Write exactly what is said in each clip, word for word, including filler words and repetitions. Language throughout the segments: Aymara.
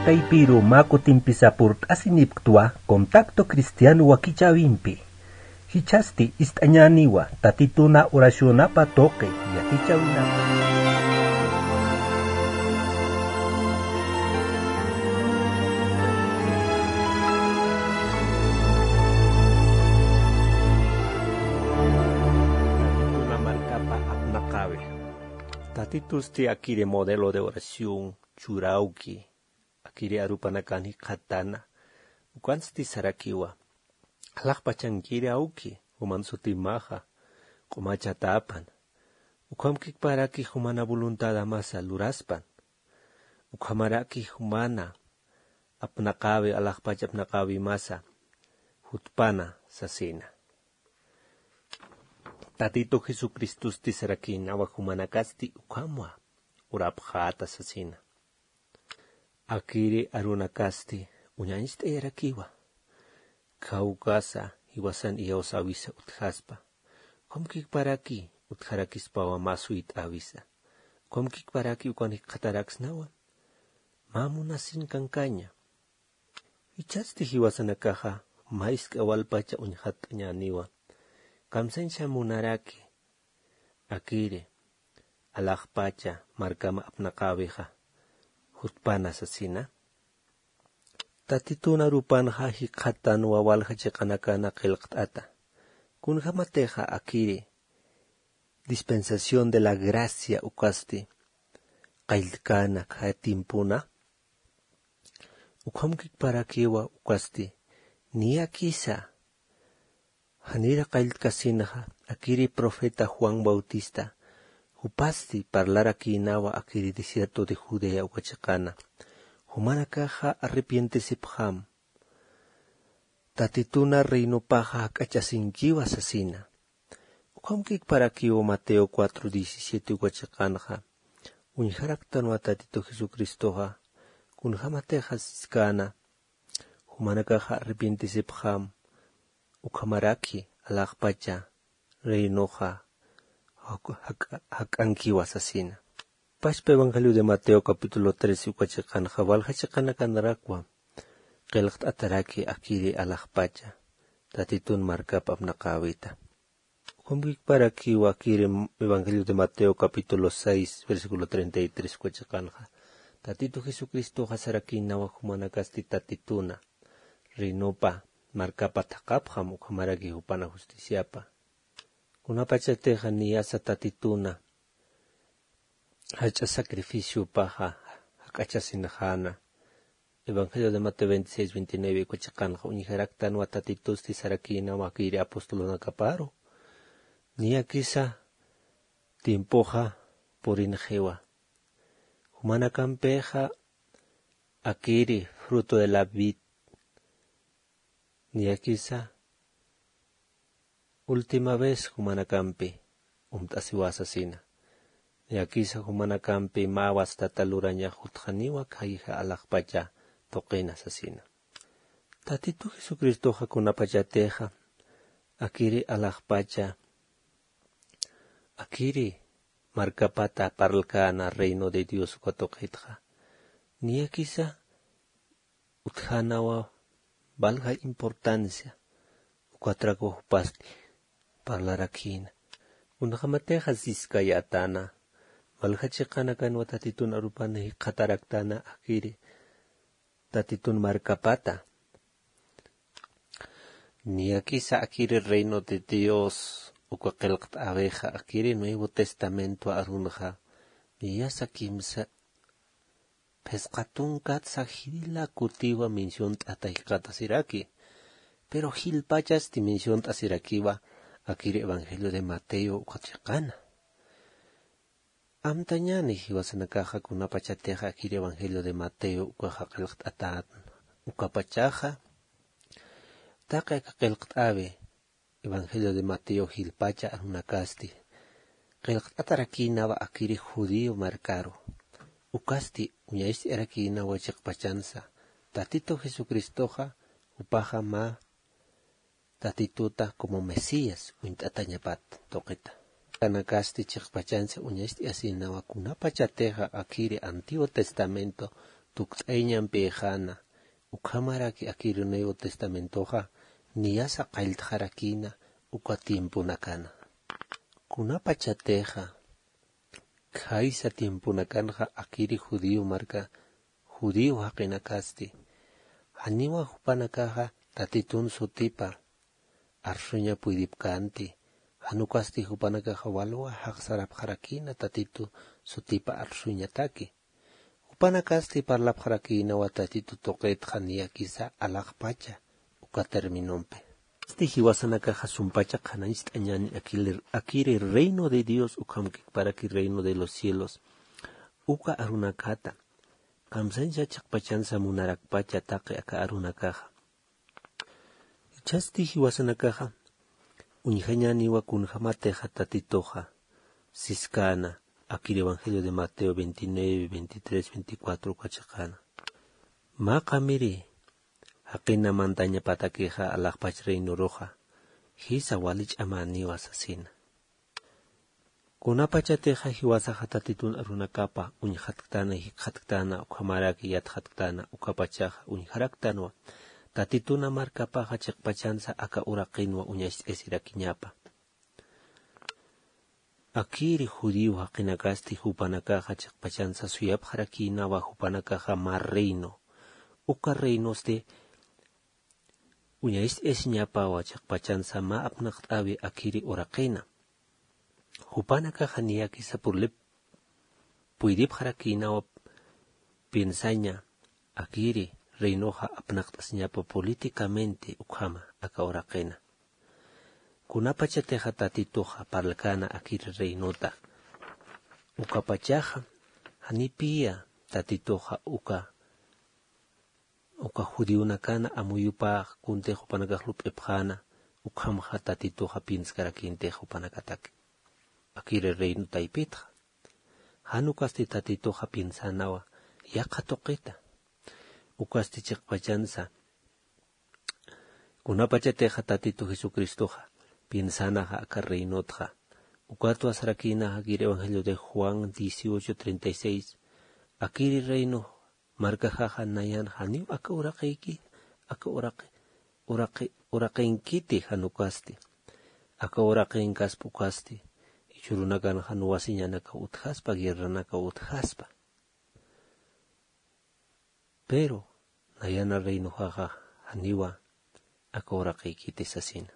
Taypiru mä kutimpisa purt'asinipktwa Contacto Cristiano wakichäwimpi. Jichhasti ist'añäniwa Tatituna oracionapa tuqi yatichäwinapa. Tatituna markapa apnaqäwi. Tatitusti akiri modelo de oración churawki, akiri arupanakan jikxatäna. Ukansti sarakiwa: alaxpachankiri awki, juman sutimaxa, q'umachatäpan. Ukhamkikparaki jumana voluntadamasa luraspan. Ukhamaraki jumana apnaqäwi, alaxpach apnaqäwimasa jutpana sasina. Tatitu Jesucristosti sarakïnawa jumanakasti ukhamwa urapxäta sasina. Akiri arunakasti uñañcht'ayarakiwa. Khawkasa jiwasan iyawsäwisa utjaspa. Ukhamkikparaki utjarakispawa mä suyt'äwisa. Ukhamkikparaki ukan jikxataraksnawa mä munasin kankaña. Jichhasti jiwasanakaxa mä jisk'a walpacha uñjat'añäniwa. Kamsañsa munaraki akiri alaxpacha markama apnaqäwixa jutpana sasina. Tatitun arupanxa jikxatanwa walja chiqanakana qillqt'ata. Kunjämatixa akiri dispensación de la gracia ukasti qalltkäna khaya tiempona. Ukhamkikparakiwa ukasti niyakisa janira qalltkasinxa, akiri profeta Juan Bautista, jupasti parlarakïnawa akiri desierto de Judea uka chiqana. Jumanakaxa arrepientesipxam. Tatituna reinopaxa jak'achasinkiwa sasina. Ukhamkikparakiwa Mateo cuatro diecisiete uka chiqanxa. Uñjaraktanwa Tatitu Jesucristoxa, kunjämatixa siskäna, jumanakaxa arrepientesipxam, ukhamaraki alaxpacha reinoxa jak-, jak-, jak'ankiwa sasina. Pachpa Evangelio de Mateo capítulo trece uka chiqanxa, walja chiqanakanarakwa qillqt'ataraki akiri alaxpacha Tatitun markap apnaqäwita. Ukhamkikparakiwa akiri Evangelio de Mateo capítulo seis, versículo treinta y tres uka chiqanxa. Tatitu Jesucristoxa sarakïnawa jumanakasti Tatituna reinopa markapa thaqapxam, ukhamaraki jupana justiciapa. Kunapachatixa niyasa Tatituna jach'a sacrificiopaxa jak'achasinxäna. Evangelio de Mateo veintiséis veintinueve uka chiqanxa uñjaraktanwa Tatitusti sarakïnawa akiri apostolunakaparu. Niyakisa tiempoxa purinxiwa. Jumanakampixa akiri fruto de la vid. Niyakisa última vez jumanakampi umt'asiwa sasina. Niyakisa jumanakampi mä wastata lurañax jutxaniwa khayja alaxpacha tuqina sasina. Tatitu Jesucristoxa kunapachatixa akiri alaxpacha, akiri markapata parlkäna reino de Dios uka tuqitxa, niyakisa utjänawa valja importancia ukatrakwa jupasti parlarakïna. Kunjämatixa siskayätäna, valja chiqanakanwa Tatitun arupan jikxataraktäna akiri Tatitun markapata. Niyakisa akiri reino de Dios uka qillqt'äwixa akiri Nuevo Testamento arunxa, niyasa kimsa phisqa tunkatsa jila kutiwa menciont'ata jikxatasiraki. Pero jilpachasti menciont'asirakiwa akiri Evangelio de Mateo uka chiqana. Amtañäni jiwasanakaxa kunapachatixa akiri Evangelio de Mateo ukaxa qillqt'atän. Ukapachaxa taqi aka qillqt'äwi Evangelio de Mateo jilpacha arunakasti qillqt'atarakïnawa akiri judío markaru. Ukasti uñacht'ayarakïnawa chiqpachansa Tatitu Jesucristoxa jupaxa mä Tatituta como Mesías uñt'atañapat tuqita. Kanakasti chiqpachansa uñacht'ayasïnawa kunapachatixa akiri Antiguo Testamento tukt'ayañampïxäna, ukhamaraki akiri Nuevo Testamentoxa niyasa qalltxarakïna uka tiemponakana. Kunapachatixa khaysa tiemponakanxa akiri judío marka, judío jaqinakasti, janiwa jupanakaxa Tatitun sutipa arsuña puydipkänti, jan ukasti jupanakaxa walwa jaqsarapxarakïna Tatitu sutipa arsuñataki. Jupanakasti parlapxarakïnawa Tatitu tuqitxa niyakisa alaxpacha uka terminompi. Esti jiwasanakaxa sumpacha qhanañcht'añäni akiri, akiri reino de Dios ukhamkikparaki reino de los cielos. Uka arunakata kamsañsa chiqpachansa munarakpacha taqi aka arunakaxa. Jichhasti jiwasanakaxa uñjañäniwa kunjämatixa Tatituxa siskäna akir Evangelio de Mateo veintinueve, veintitrés, veinticuatro uka chiqana. Mä qamiri jaqina mantañapatakixa alaxpach reinoruxa jisa wali ch'amäniwa sasina. Kunapachatixa jiwasaxa Tatitun arunakapa uñjatktana, jikxatktana, ukhamaraki yatxatktana, ukapachaxa uñjaraktanwa Tatituna markapaxa chiqpachansa aka uraqinwa uñacht'asirakiñapa. Akiri judío jaqinakasti jupanakaxa chiqpachansa suyapxarakïnawa jupanakaxa mä reino. Uka reinosti uñacht'asiñapawa chiqpachansa mä apnaqt'äwi akiri uraqina. Jupanakaxa niyakisa purlip puydipxarakïnawa piensaña akiri reinoxa apnaqt'asiñapa políticamente ukhama aka uraqina. Kunapachatixa Tatituxa parlkäna akiri reinota, ukapachaxa janipiya Tatituxa uka uka judionakana amuyupax kuntix jupanakax lup'ipxäna, ukhamxa Tatituxa pienskarakïntix jupanakataki akiri reino taypitxa. Jan ukasti Tatituxa piensanawa yaqha tuqita. Ukasti chiqpachansa kunapachatixa Tatitu Jesucristoxa piensanaxa aka reinotxa. Ukatwa sarakïnaxa akir Evangelio de Juan dieciocho treinta y seis, akiri reino markaxaxa nayan janiw aka uraqiyki, aka uraqi, uraqi, uraqinkiti jan ukasti. Aka uraqinkaspa ukasti, jichhürunakan jan wasiñanakaw utjaspa, guerranakaw utjaspa. Pero nayana reinoxaxa janiwa aka uraqiykiti sasina.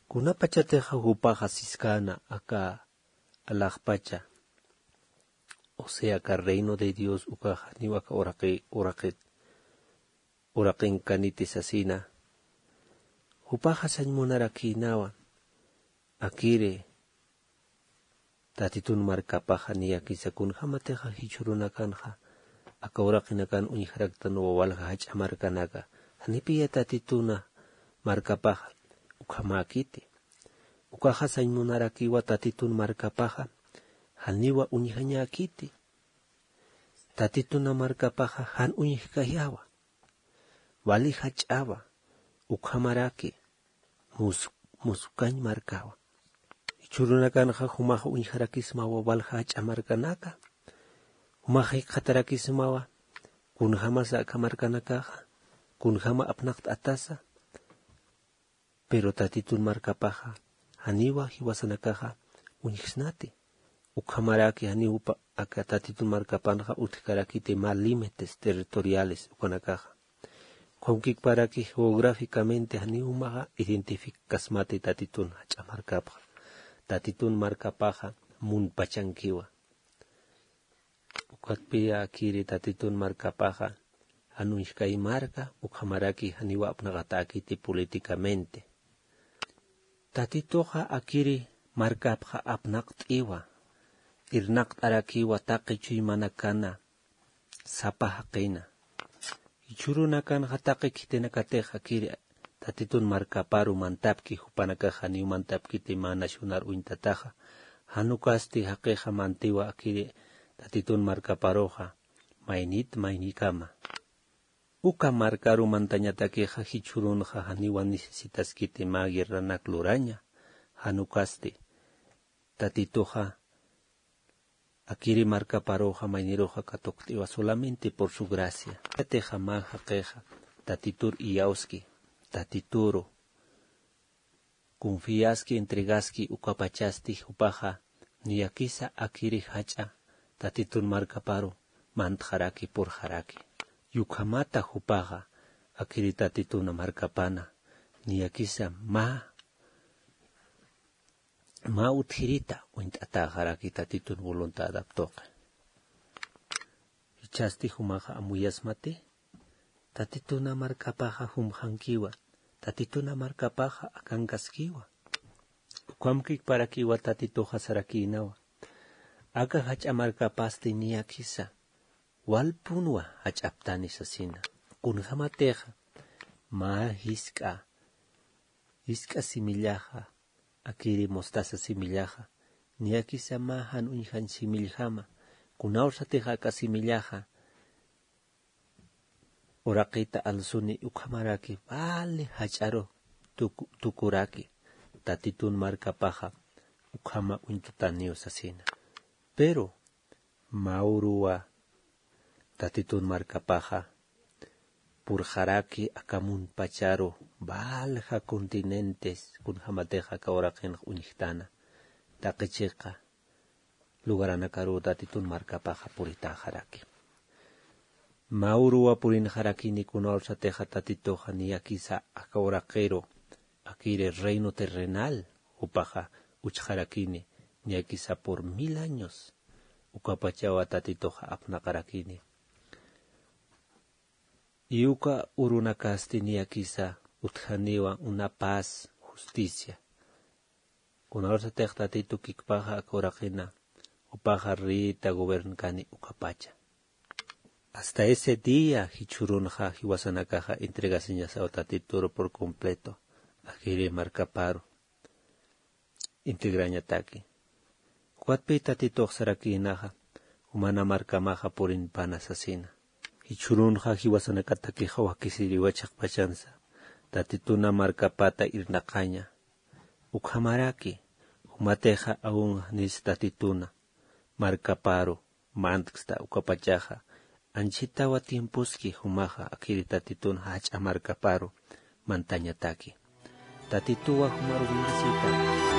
Kunapachatixa jupaxa siskäna aka alaxpacha, o sea, aka reino de Dios ukaxa janiw aka uraqi, uraqi, uraqinkaniti sasina. Jupaxa sañ munarakïnawa akiri Tatitun markapaxa niyakisa kunjämatixa jichhürunakanxa aka uraqinakan uñjaraktanwa walja jach'a markanaka, janipiya Tatituna markapaxa ukhamäkiti. Ukaxa sañ munarakiwa Tatitun markapaxa janiwa uñjañäkiti. Tatituna markapaxa jan uñjkayawa, wali jach'awa, ukhamaraki mus, musukañ markawa. Jichhürunakanxa jumaxa uñjarakismawa walja jach'a markanaka, jumaxa jikxatarakismawa kunjämasa aka markanakaxa, kunjäma apnaqt'atasa. Pero Tatitun markapaxa janiwa jiwasanakaxa uñjsnati. Ukhamaraki janiw jupa aka Tatitun markapanxa utjkarakiti mä límites territoriales ukanakaxa. Ukhamkikparaki geográficamente janiw jumaxa identificaskasmati Tatitun jach'a markapxa. Tatitun markapaxa munpachankiwa. Ukatpiya akiri Tatitun markapaxa jan uñjkay marka, ukhamaraki janiwa apnaqatäkiti políticamente. Tatituxa akiri markapxa apnaqt'iwa, irnaqt'arakiwa taqi chuymanakana sapa jaqina. Jichhürunakanxa taqi khitinakatix akiri Tatitun markaparu mantapki, jupanakax janiw mantapkiti mä nacionar uñtataxa. Jan ukasti jaqixa mantiwa akiri Tatitun markaparuxa maynit maynikama. Uka markaru mantañatakixa jichhürunxa janiwa necesitaskiti mä guerranak luraña. Jan ukasti Tatituxa Akiri markaparuxa mayniruxa katukt'iwa solamente por su gracia. Yatixa mä jaqixa tatitur iyawski, tatituru confiaski, entregaski ukapachasti jupaxa niyakisa akiri jach'a tatitun markaparu mantxaraki, purxaraki. Yukhamata jupaxa akiri tatituna markapana niyakisa mä mä utjirita uñt'atäxaraki tatitun voluntadap tuqi. Jichhasti jumaxa amuyasmati tatituna markapaxa jumxankiwa, tatituna markapaxa akankaskiwa. Ukhamkikparakiwa tatituxa sarakïnawa aka jach'a markapasti niyakisa walpunwa jach'aptani sasina. Kunjamatixa mä jisk'a jisk'a simillaxa akiri mostaza simillaxa niyakisa mä jan uñjañ similljama. Kunawsatix aka simillaxa uraqita alsuni ukhamaraki vali jach'aru tukuraki tatitun markapaxa ukhama uñtutaniw sasina. Pero mä uruwa tatitun markapaxa purxaraki aka muntpacharu valja continentes kunjämatix aka uraqinx uñjtana taqi chiqa lugaranakaruw tatitun markapaxa puritäxaraki. Mä uruwa purinxarakini kunawsatixa tatituxa niyakisa aka uraqiru akiri reino terrenal jupaxa uchxarakini niyakisa por mil años ukapachawa tatituxa apnaqarakini. Y uka urunakasti niyakisa utjaniwa una paz, justicia. Kunawsatix tatitu kikpaxa aka uraqina jupaxa reyta gobernkani ukapacha. Hasta ese día jichhürunxa jiwasanakaxa entregasiñasaw tatituru por completo akiri markaparu integrañataki. Ukatpï tatitux sarakïnaxa jumana markamaxa purinpana sasina. Jichhürunxa jiwasanakatakixa wakisiriwa chiqpachansa tatituna markapata irnaqaña. Ukhamaraki jumatixa awunxnis tatituna markaparu mantksta ukapachaxa anchhitawa tiemposki jumaxa akiri tatitun jach'a markaparu mantañataki. Tatituwa jumaru bendecita.